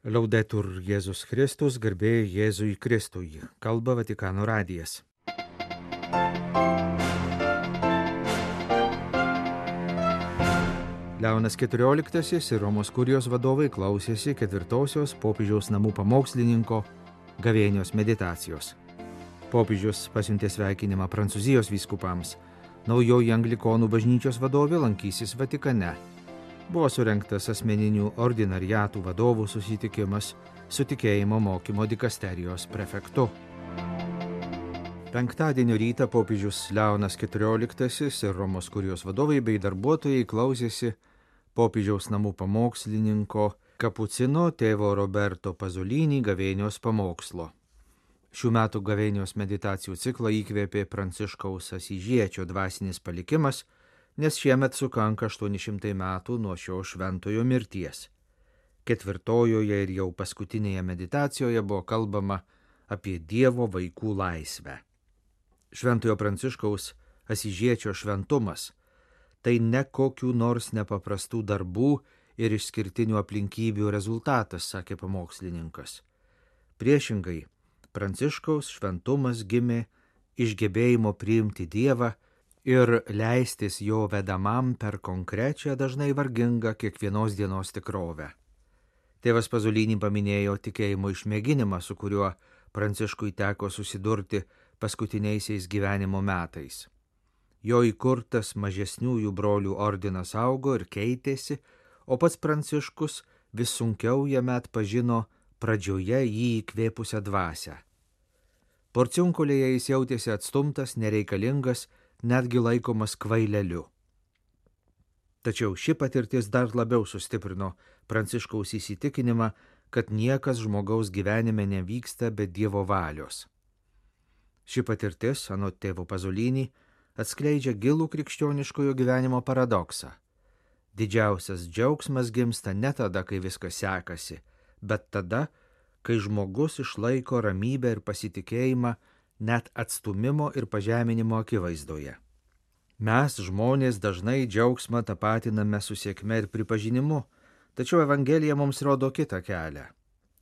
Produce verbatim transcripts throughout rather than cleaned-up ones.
Laudetur Jėzus Kristus, garbė Jėzui Kristui. Kalba Vatikano radijas. Leonas keturioliktasis ir Romos kurijos vadovai klausėsi ketvirtosios popiežiaus namų pamokslininko gavėnios meditacijos. Popiežius pasiuntė sveikinimą Prancūzijos vyskupams. Naujoji anglikonų bažnyčios vadovė lankysis Vatikane. Buvo surengtas asmeninių ordinariatų vadovų susitikimas su tikėjimo mokymo dikasterijos prefektu. Penktadienio rytą popiežius Leonas keturioliktasis ir Romos kurijos vadovai bei darbuotojai klausėsi popiežiaus namų pamokslininko kapucino tėvo Roberto Pazolinį gavėnios pamokslo. Šių metų gavėnios meditacijų ciklą įkvėpė Pranciškaus Asyžiečio dvasinis palikimas, nes šiemet sukanka aštuoni šimtai metų nuo šio šventojo mirties. Ketvirtojoje ir jau paskutinėje meditacijoje buvo kalbama apie Dievo vaikų laisvę. Šventojo Pranciškaus Asyžiečio šventumas – tai ne kokių nors nepaprastų darbų ir išskirtinių aplinkybių rezultatas, sakė pamokslininkas. Priešingai, Pranciškaus šventumas gimė iš gebėjimo priimti Dievą ir leistis jo vedamam per konkrečią, dažnai vargingą kiekvienos dienos tikrovę. Tėvas Pazolinį paminėjo tikėjimo išmėginimą, su kuriuo Pranciškui teko susidurti paskutiniaisiais gyvenimo metais. Jo įkurtas mažesniųjų brolių ordinas augo ir keitėsi, o pats Pranciškus vis sunkiau jame atpažino pradžioje jį įkvėpusią dvasią. Porciunkulėje jis jautėsi atstumtas, nereikalingas, netgi laikomas kvaileliu. Tačiau ši patirtis dar labiau sustiprino Pranciškaus įsitikinimą, kad niekas žmogaus gyvenime nevyksta be Dievo valios. Ši patirtis, anot tėvo Pazolinį, atskleidžia gilų krikščioniškojo gyvenimo paradoksą. Didžiausias džiaugsmas gimsta ne tada, kai viskas sekasi, bet tada, kai žmogus išlaiko ramybę ir pasitikėjimą net atstūmimo ir pažeminimo akivaizdoje. Mes, žmonės, dažnai džiaugsmą tapatiname su sėkme ir pripažinimu, tačiau Evangelija mums rodo kitą kelią.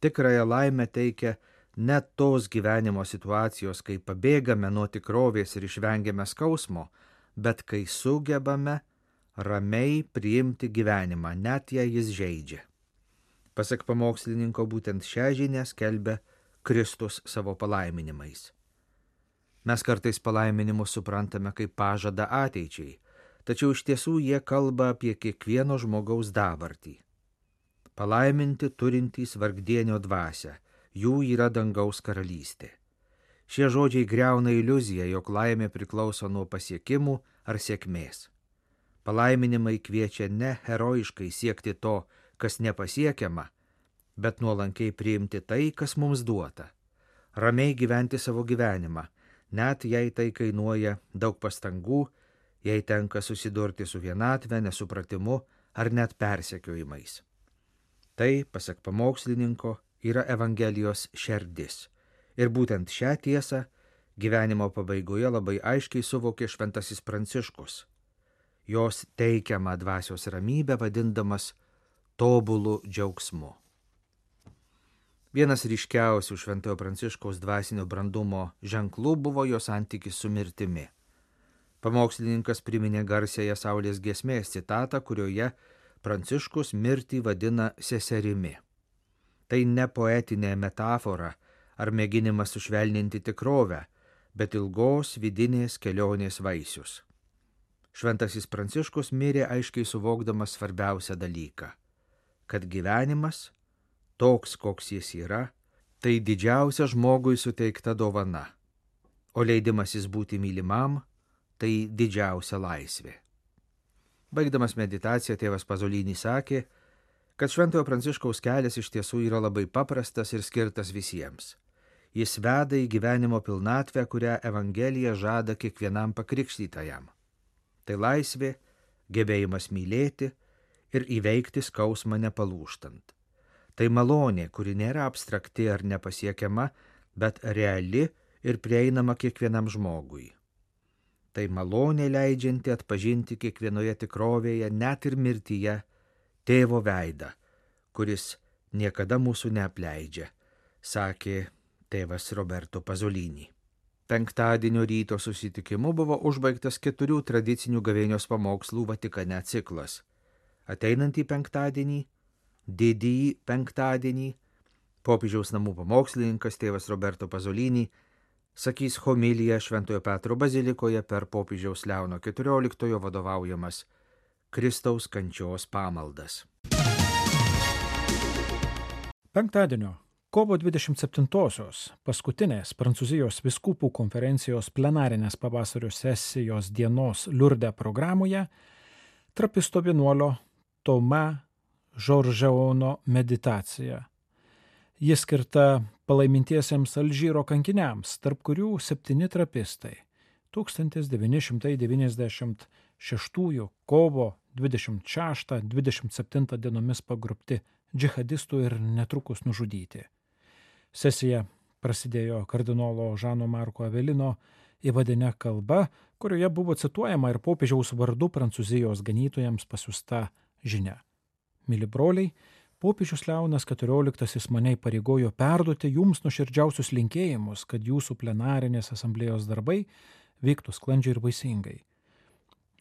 Tikrąją laimę teikia ne tos gyvenimo situacijos, kai pabėgame nuo tikrovės ir išvengiame skausmo, bet kai sugebame ramiai priimti gyvenimą, net jei jis žeidžia. Pasak pamokslininko, būtent šią žinią skelbia Kristus savo palaiminimais. Mes kartais palaiminimus suprantame kaip pažadą ateičiai, tačiau iš tiesų jie kalba apie kiekvieno žmogaus dabartį. Palaiminti turintys vargdienio dvasią, jų yra dangaus karalystė. Šie žodžiai griauna iliuziją, jog laimė priklauso nuo pasiekimų ar sėkmės. Palaiminimai kviečia ne herojiškai siekti to, kas nepasiekiama, bet nuolankiai priimti tai, kas mums duota. Ramiai gyventi savo gyvenimą, net jei tai kainuoja daug pastangų, jei tenka susidurti su vienatve, nesupratimu ar net persekiojimais. Tai, pasak pamokslininko, yra Evangelijos šerdis. Ir būtent šią tiesą gyvenimo pabaigoje labai aiškiai suvokė šventasis Pranciškus. Jos teikiamą dvasios ramybę vadindamas tobulų džiaugsmu. Vienas ryškiausių šventojo Pranciškaus dvasinio brandumo ženklų buvo jo santykis su mirtimi. Pamokslininkas priminė garsiąją Saulės giesmės citatą, kurioje Pranciškus mirtį vadina seserimi. Tai ne poetinė metafora ar mėginimas sušvelninti tikrovę, bet ilgos vidinės kelionės vaisius. Šventasis Pranciškus mirė aiškiai suvokdamas svarbiausią dalyką, kad gyvenimas, toks koks jis yra, tai didžiausia žmogui suteikta dovana, o leidimasis būti mylimam, tai didžiausia laisvė. Baigdamas meditaciją, tėvas Pazolinį sakė, kad šventojo Pranciškaus kelias iš tiesų yra labai paprastas ir skirtas visiems. Jis veda į gyvenimo pilnatvę, kurią Evangelija žada kiekvienam pakrikštytajam. Tai laisvė, gebėjimas mylėti ir įveikti skausmą nepalūžtant. Tai malonė, kuri nėra abstrakti ar nepasiekiama, bet reali ir prieinama kiekvienam žmogui. Tai malonė leidžianti atpažinti kiekvienoje tikrovėje, net ir mirtyje, tėvo veidą, kuris niekada mūsų neapleidžia, sakė tėvas Roberto Pasolini. Penktadienio ryto susitikimu buvo užbaigtas keturių tradicinių gavėnios pamokslų Vatikane ciklas. Ateinantį penktadienį, didįjį penktadienį, popiežiaus namų pamokslininkas tėvas Roberto Pasolini sakys homiliją Šventojo Petro bazilikoje per popiežiaus Leono keturioliktojo vadovaujamas Kristaus kančios pamaldas. Penktadienio, kovo dvidešimt septintosios, paskutinės Prancūzijos vyskupų konferencijos plenarinės pavasario sesijos dienos Liurde programoje trapisto vienuolio Toma Žoržeono meditacija. Ji skirta palaimintiesiems Alžyro kankiniams, tarp kurių septyni trapistai tūkstantis devyni šimtai devyniasdešimt šeštųjų kovo dvidešimt šeštą dvidešimt septintą dienomis pagrobti džihadistų ir netrukus nužudyti. Sesija prasidėjo kardinolo Žano Marko Avelino įvadine kalba, kurioje buvo cituojama ir popiežiaus vardu Prancūzijos ganytojams pasiųsta žinia. Mili broliai, popiežius Leonas keturioliktasis mane įpareigojo perduoti jums nuoširdžiausius linkėjimus, kad jūsų plenarinės asamblėjos darbai vyktų sklandžiai ir vaisingai.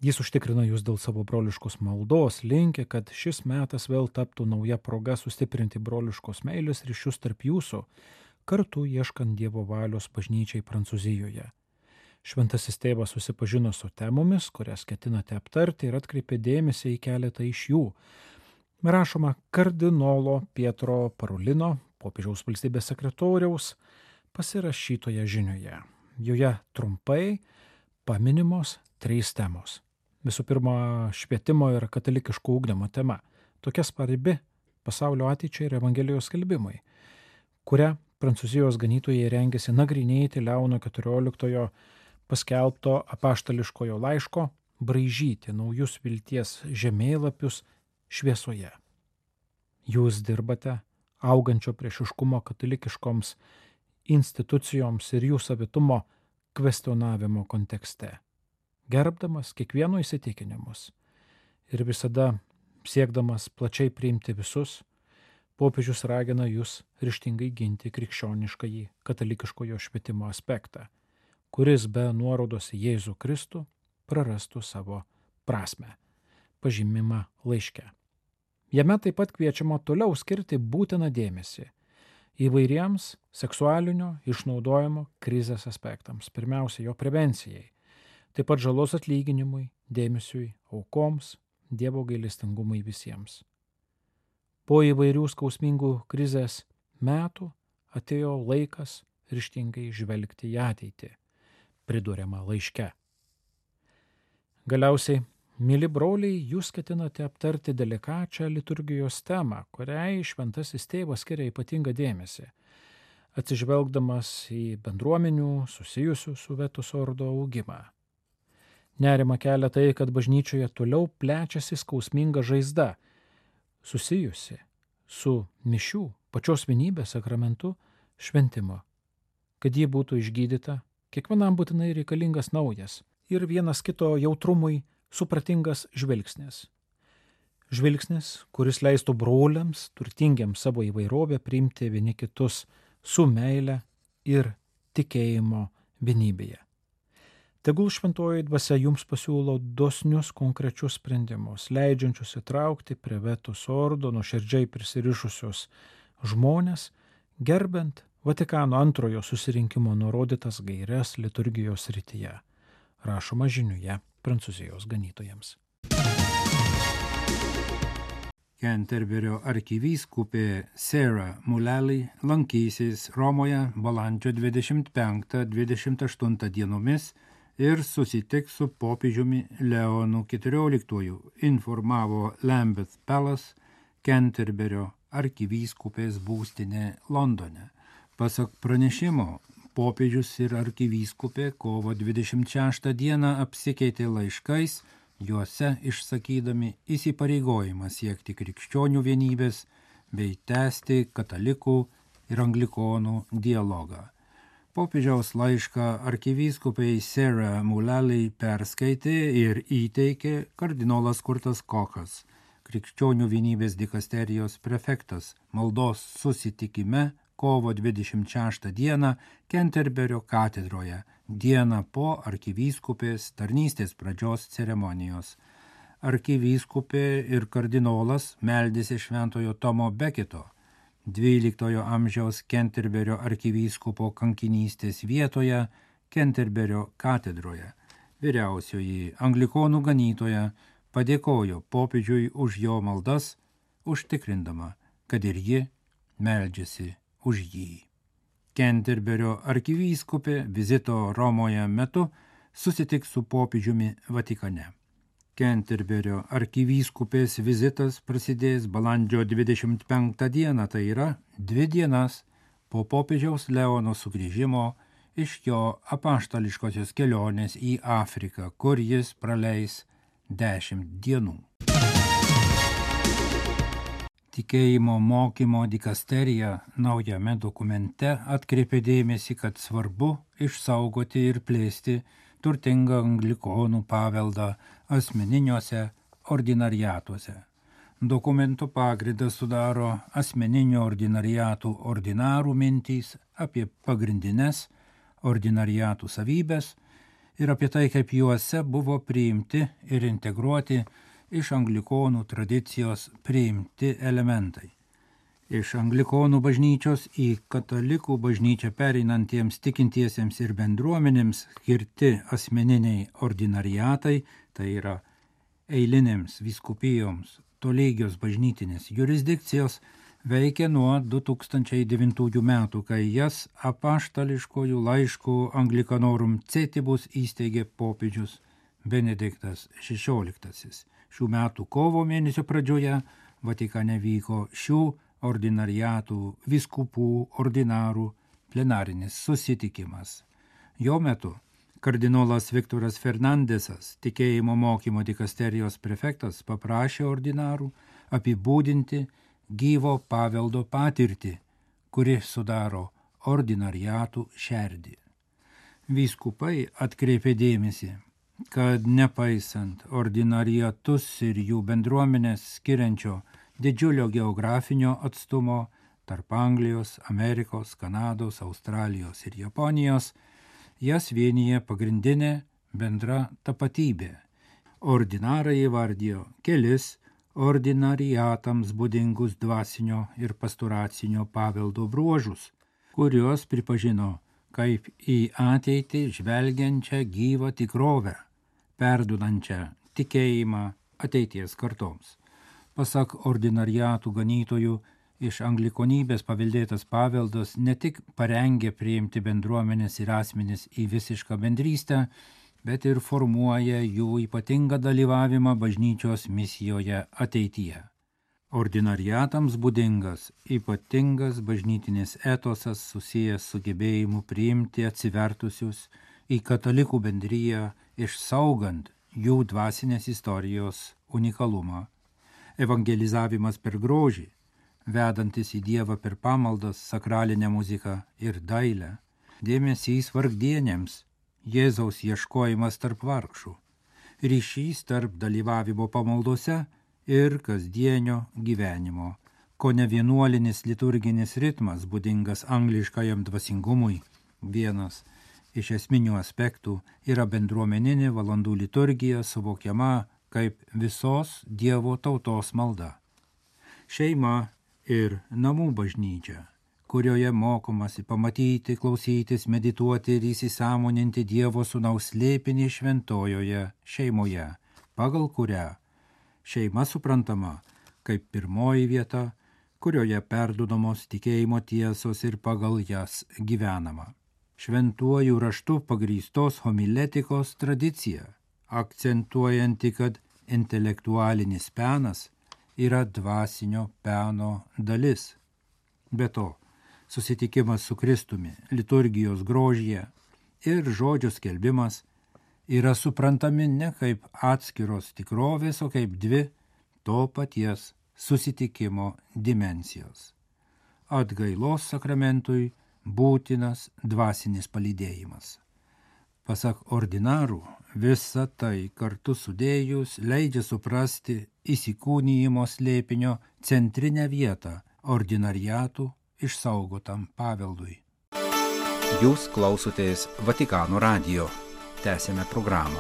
Jis užtikrina jūs dėl savo broliškos maldos, linki, kad šis metas vėl taptų nauja proga sustiprinti broliškos meilės ryšius tarp jūsų, kartu ieškant Dievo valios bažnyčiai Prancūzijoje. Šventasis tėvas susipažino su temomis, kurias ketinate aptarti ir atkreipė dėmesį į keletą iš jų. Rašoma kardinolo Pietro Parolino, popiežiaus valstybės sekretoriaus, pasirašytoje žinioje. Joje trumpai paminimos trys temos. Visų pirma, švietimo ir katalikiško ugdymo tema, tokia svarbi pasaulio ateičiai ir Evangelijos skelbimui, kurią Prancūzijos ganytojai rengėsi nagrinėti Leono keturioliktojo paskelbto apaštališkojo laiško braižyti naujus vilties žemėlapius šviesoje. Jūs dirbate augančio priešiškumo katalikiškoms institucijoms ir jų savitumo kvestionavimo kontekste, gerbdamas kiekvieno įsitikinimus ir visada siekdamas plačiai priimti visus, popiežius ragina jūs ryžtingai ginti krikščioniškąjį katalikiškojo švietimo aspektą, kuris be nuorodos į Jėzų Kristų prarastų savo prasmę, pažymimą laiške. Jame taip pat kviečiama toliau skirti būtiną dėmesį įvairiems seksualinio išnaudojimo krizės aspektams, pirmiausia jo prevencijai, taip pat žalos atlyginimui, dėmesiui aukoms, Dievo gailestingumui visiems. Po įvairių skausmingų krizės metų atėjo laikas ryžtingai žvelgti į ateitį, priduriama laiške. Galiausiai, mili broliai, jūs ketinate aptarti delikačią liturgijos temą, kuriai šventasis tėvas skiria ypatingą dėmesį, atsižvelgdamas į bendruomenių susijusių su Vetus Ordo augimą. Nerima kelia tai, kad bažnyčioje toliau plečiasi skausminga žaizda, susijusi su mišių, pačios vienybės sakramentu šventimo. Kad ji būtų išgydyta, kiekvienam būtinai reikalingas naujas ir vienas kito jautrumui supratingas žvilgsnis. Žvilgsnis, kuris leistų broliams, turtingiems savo įvairovę priimti vieni kitus su meile ir tikėjimo vienybėje. Tegul šventoji dvasia jums pasiūlo dosnius konkrečius sprendimus, leidžiančius įtraukti prie Vetus Ordo nuoširdžiai prisirišusius žmonės, gerbent Vatikano antrojo susirinkimo nurodytas gaires liturgijos srityje, rašoma žiniuje Prancūzijos ganytojams. Canterburio arkivyskupė Sarah Mullally lankysis Romoje balandžio dvidešimt penktą dvidešimt aštuntą dienomis ir susitiks su popiežiumi Leonu keturioliktuoju, informavo Lambeth Palace, Canterburio arkivyskupės būstinė Londone. Pasak pranešimo, popiežius ir arkivyskupė kovo dvidešimt šeštą dieną apsikeitė laiškais, juose išsakydami įsipareigojimą siekti krikščionių vienybės bei tęsti katalikų ir anglikonų dialogą. Popiežiaus laišką arkivyskupai Sarah Mullally perskaitė ir įteikė kardinolas Kurtas Kochas, krikščionių vienybės dikasterijos prefektas maldos susitikime kovo dvidešimt šeštą dieną Kenterberio katedroje, dieną po arkivyskupės tarnystės pradžios ceremonijos. Arkivyskupė ir kardinolas meldėsi šventojo Tomo Beketo, dvyliktojo amžiaus Kenterberio arkivyskupo kankinystės vietoje, Kenterberio katedroje. Vyriausioji anglikonų ganytoja padėkojo popiežiui už jo maldas, užtikrindama, kad ir ji meldžiasi už jį. Kenterberio arkivyskupė vizito Romoje metu susitiks su popiežiumi Vatikane. Kenterberio arkivyskupės vizitas prasidės balandžio dvidešimt penktą dieną, tai yra dvi dienas po popiežiaus Leono sugrįžimo iš jo apaštališkosios kelionės į Afriką, kur jis praleis dešimt dienų. Tikėjimo mokymo dikasterija naujame dokumente atkreipė dėmesį, kad svarbu išsaugoti ir plėsti turtingą anglikonų paveldą asmeniniuose ordinariatuose. Dokumento pagrindą sudaro asmeninio ordinariatų ordinarų mintys apie pagrindines ordinariatų savybės ir apie tai, kaip juose buvo priimti ir integruoti iš anglikonų tradicijos priimti elementai. Iš anglikonų bažnyčios į katalikų bažnyčią pereinantiems tikintiesiems ir bendruomenėms skirti asmeniniai ordinariatai, tai yra eilinėms vyskupijoms tolygios bažnytinės jurisdikcijos, veikia nuo du tūkstančiai devintųjų metų, kai jas apaštališkojų laiškų Anglicanorum Cetibus įsteigė popiežius Benediktas šešioliktasis. Šių metų kovo mėnesio pradžioje Vatikane vyko šių ordinariatų vyskupų ordinarų plenarinis susitikimas. Jo metu kardinolas Viktoras Fernandesas, tikėjimo mokymo dikasterijos prefektas, paprašė ordinarų apibūdinti gyvo paveldo patirtį, kuri sudaro ordinariatų šerdį. Vyskupai atkreipė dėmesį, kad nepaisant ordinariatus ir jų bendruomenės skiriančio didžiulio geografinio atstumo tarp Anglijos, Amerikos, Kanados, Australijos ir Japonijos, jas vienyje pagrindinė bendra tapatybė. Ordinarai įvardijo kelis ordinariatams būdingus dvasinio ir pastoracinio paveldo bruožus, kuriuos pripažino kaip į ateitį žvelgiančią gyvą tikrovę, perduodančią tikėjimą ateities kartoms. Pasak ordinariatų ganytojų, iš anglikonybės paveldėtas paveldas ne tik parengė priimti bendruomenės ir asmenis į visišką bendrystę, bet ir formuoja jų ypatingą dalyvavimą bažnyčios misijoje ateityje. Ordinariatams būdingas ypatingas bažnytinis etosas susijęs su gebėjimu priimti atsivertusius į katalikų bendriją, išsaugant jų dvasinės istorijos unikalumą. Evangelizavimas per grožį, vedantis į Dievą per pamaldas, sakralinę muziką ir dailę, dėmesys vargdienėms, Jėzaus ieškojimas tarp vargšų, ryšys tarp dalyvavimo pamaldose ir kasdienio gyvenimo, ko ne vienuolinis liturginis ritmas būdingas angliškajam dvasingumui. Vienas iš esminių aspektų yra bendruomeninė valandų liturgija suvokiama kaip visos Dievo tautos malda. Šeima ir namų bažnyčia, kurioje mokomasi pamatyti, klausytis, medituoti ir įsisąmoninti Dievo sūnaus slėpinį šventojoje šeimoje, pagal kurią šeima suprantama kaip pirmoji vieta, kurioje perduodamos tikėjimo tiesos ir pagal jas gyvenama. Šventuoju raštu pagrįstos homiletikos tradicija, akcentuojanti, kad intelektualinis penas yra dvasinio peno dalis. Be to, susitikimas su Kristumi, liturgijos grožyje ir žodžio skelbimas yra suprantami ne kaip atskiros tikrovės, o kaip dvi to paties susitikimo dimensijos. Atgailos sakramentui būtinas dvasinis palydėjimas. Pasak ordinarų, visa tai kartu sudėjus leidžia suprasti įsikūnijimo slėpinio centrinę vietą ordinariatų išsaugotam paveldui. Jūs klausotės Vatikano radijo. Tęsėme programą.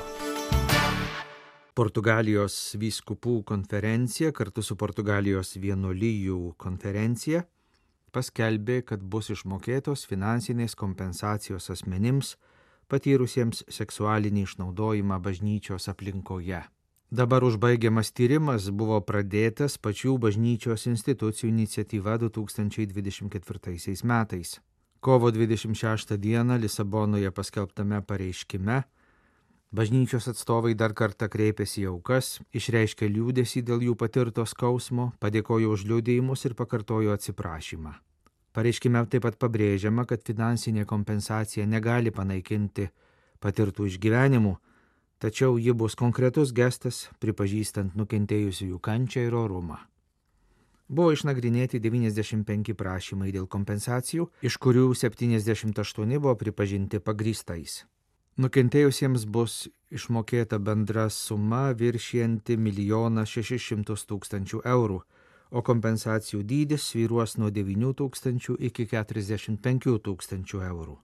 Portugalijos vyskupų konferencija kartu su Portugalijos vienuolijų konferencija paskelbė, kad bus išmokėtos finansinės kompensacijos asmenims patyrusiems seksualinį išnaudojimą bažnyčios aplinkoje. Dabar užbaigiamas tyrimas buvo pradėtas pačių bažnyčios institucijų iniciatyva du tūkstančiai dvidešimt ketvirtaisiais metais. Kovo dvidešimt šeštą dieną Lisabonoje paskelbtame pareiškime bažnyčios atstovai dar kartą kreipėsi į aukas, išreiškė liūdesį dėl jų patirto skausmo, padėkojo už liudijimus ir pakartojo atsiprašymą. Pareiškime taip pat pabrėžiama, kad finansinė kompensacija negali panaikinti patirtų išgyvenimų, tačiau ji bus konkretus gestas, pripažįstant nukentėjusiųjų kančią ir orumą. Buvo išnagrinėti devyniasdešimt penki prašymai dėl kompensacijų, iš kurių septyniasdešimt aštuoni buvo pripažinti pagrįstais. Nukentėjusiems bus išmokėta bendra suma viršijanti milijoną šešis šimtus tūkstančių eurų, o kompensacijų dydis svyruos nuo devynių tūkstančių iki keturiasdešimt penkių tūkstančių eurų.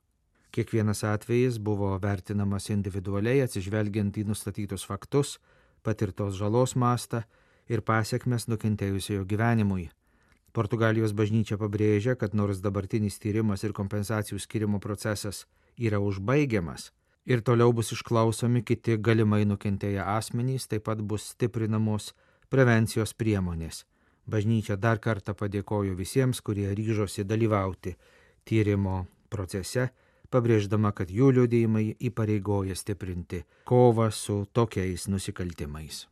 Kiekvienas atvejis buvo vertinamas individualiai atsižvelgiant į nustatytus faktus, patirtos žalos mastą ir pasiekmes nukentėjusiojo gyvenimui. Portugalijos bažnyčia pabrėžia, kad nors dabartinis tyrimas ir kompensacijų skirimo procesas yra užbaigiamas ir toliau bus išklausomi kiti galimai nukentėję asmenys, taip pat bus stiprinamos prevencijos priemonės. Bažnyčia dar kartą padėkojo visiems, kurie ryžosi dalyvauti tyrimo procese, pabrėždama, kad jų liudijimai įpareigoja stiprinti kovą su tokiais nusikaltimais.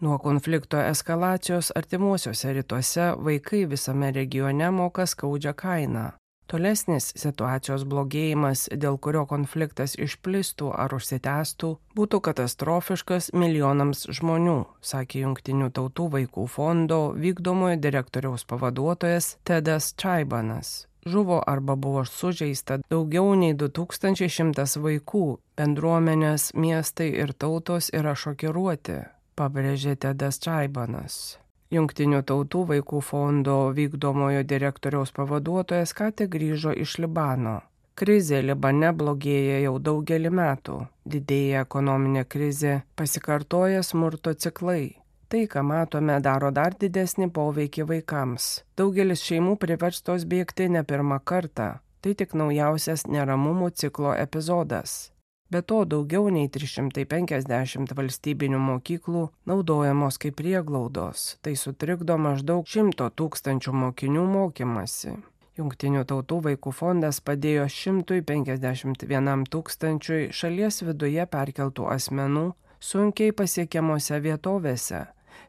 Nuo konflikto eskalacijos artimuosiuose rytuose vaikai visame regione moka skaudžią kainą. Tolesnis situacijos blogėjimas, dėl kurio konfliktas išplistų ar užsitęstų, būtų katastrofiškas milijonams žmonių, sakė Jungtinių tautų vaikų fondo vykdomojo direktoriaus pavaduotojas Tedas Čaibanas. Žuvo arba buvo sužeista daugiau nei du tūkstančiai šimtas vaikų, bendruomenės, miestai ir tautos yra šokiruoti, pabrėžė Tedas Čaibanas. Jungtinių tautų vaikų fondo vykdomojo direktoriaus pavaduotojas ką tik grįžo iš Libano. Krizė Libane blogėja jau daugelį metų. Didėja ekonominė krizė, pasikartoja smurto ciklai. Tai, ką matome, daro dar didesnį poveikį vaikams. Daugelis šeimų priverstos bėgti ne pirmą kartą. Tai tik naujausias neramumų ciklo epizodas. Be to, daugiau nei trys šimtai penkiasdešimt valstybinių mokyklų naudojamos kaip prieglaudos. Tai sutrikdo maždaug šimto tūkstančių mokinių mokymasi. Jungtinių tautų vaikų fondas padėjo šimtui penkiasdešimt vienam tūkstančiui šalies viduje perkeltų asmenų sunkiai pasiekiamose vietovėse,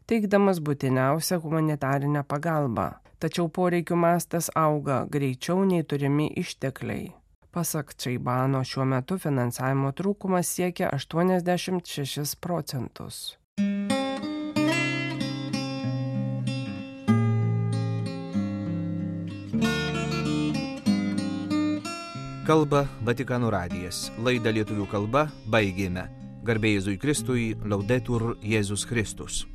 teikdamas būtiniausią humanitarinę pagalbą. Tačiau poreikių mastas auga greičiau nei turimi ištekliai. Pasak Čaibano, šiuo metu finansavimo trūkumas siekia aštuoniasdešimt šešis procentus. Kalba Vatikano radijas. Laidą lietuvių kalba baigėme. Garbė Jėzui Kristui, Laudetur Jėzus Kristus.